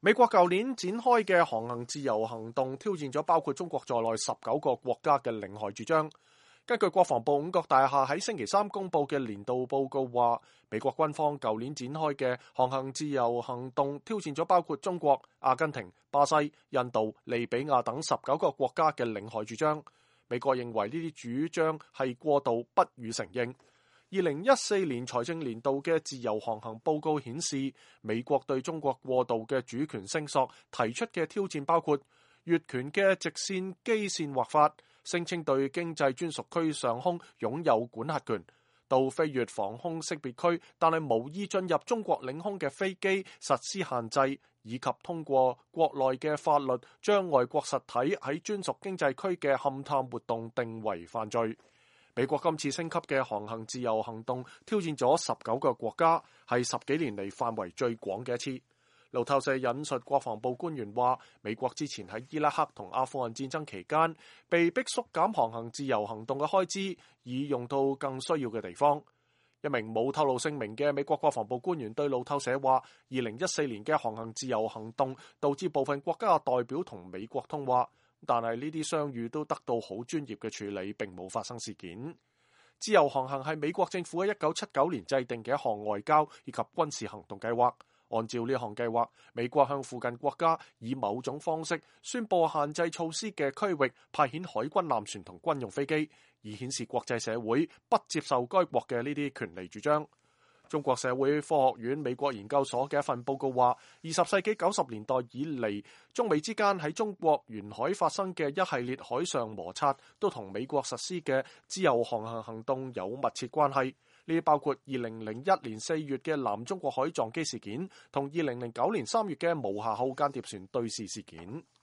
美國舊年展開嘅航行自由行動，挑戰咗包括中國在內19個國家嘅領海主張。根據國防部五角大廈喺星期三公佈嘅年度報告話，美國軍方舊年展開嘅航行自由行動，挑戰咗包括中國、阿根廷、巴西、印度、利比亞等19個國家嘅領海主張。美國認為呢啲主張係過度，不予承認。2014年財政年度嘅自由航行報告顯示，美國對中國過度嘅主權聲索提出嘅挑戰包括越權嘅直線基線劃法，聲稱對經濟專屬區上空擁有管轄權，到飛越防空識別區但係無意進入中國領空嘅飛機實施限制，以及通過國內嘅法律將外國實體喺專屬經濟區嘅勘探活動定為犯罪。美國今次升級嘅航行自由行動挑戰咗19個國家，係10幾年嚟範圍最廣嘅一次。路透社引述國防部官員話，美國之前喺伊拉克同阿富汗戰爭期間被迫縮減航行自由行動嘅開支，以用到更需要嘅地方。一名冇透露姓名嘅美國國防部官員對路透社話，2014年嘅航行自由行動導致部分國家嘅代表同美國通話，但係呢啲相遇都得到好專業嘅處理，並冇發生事件。自由航行係美國政府喺1979年制定嘅一項外交以及軍事行動計劃。按照呢項計劃，美國向附近國家以某種方式宣佈限制措施嘅區域派遣海軍艦船同軍用飛機，以顯示國際社會不接受該國嘅呢啲權利主張。中國社會科學院美國研究所嘅一份報告話，20世紀90年代以嚟，中美之間喺中國沿海發生嘅一系列海上摩擦，都同美國實施嘅自由航行行動有密切關係。呢啲包括2001年4月嘅南中國海撞擊事件，同2009年3月嘅無瑕號間諜船對峙事件。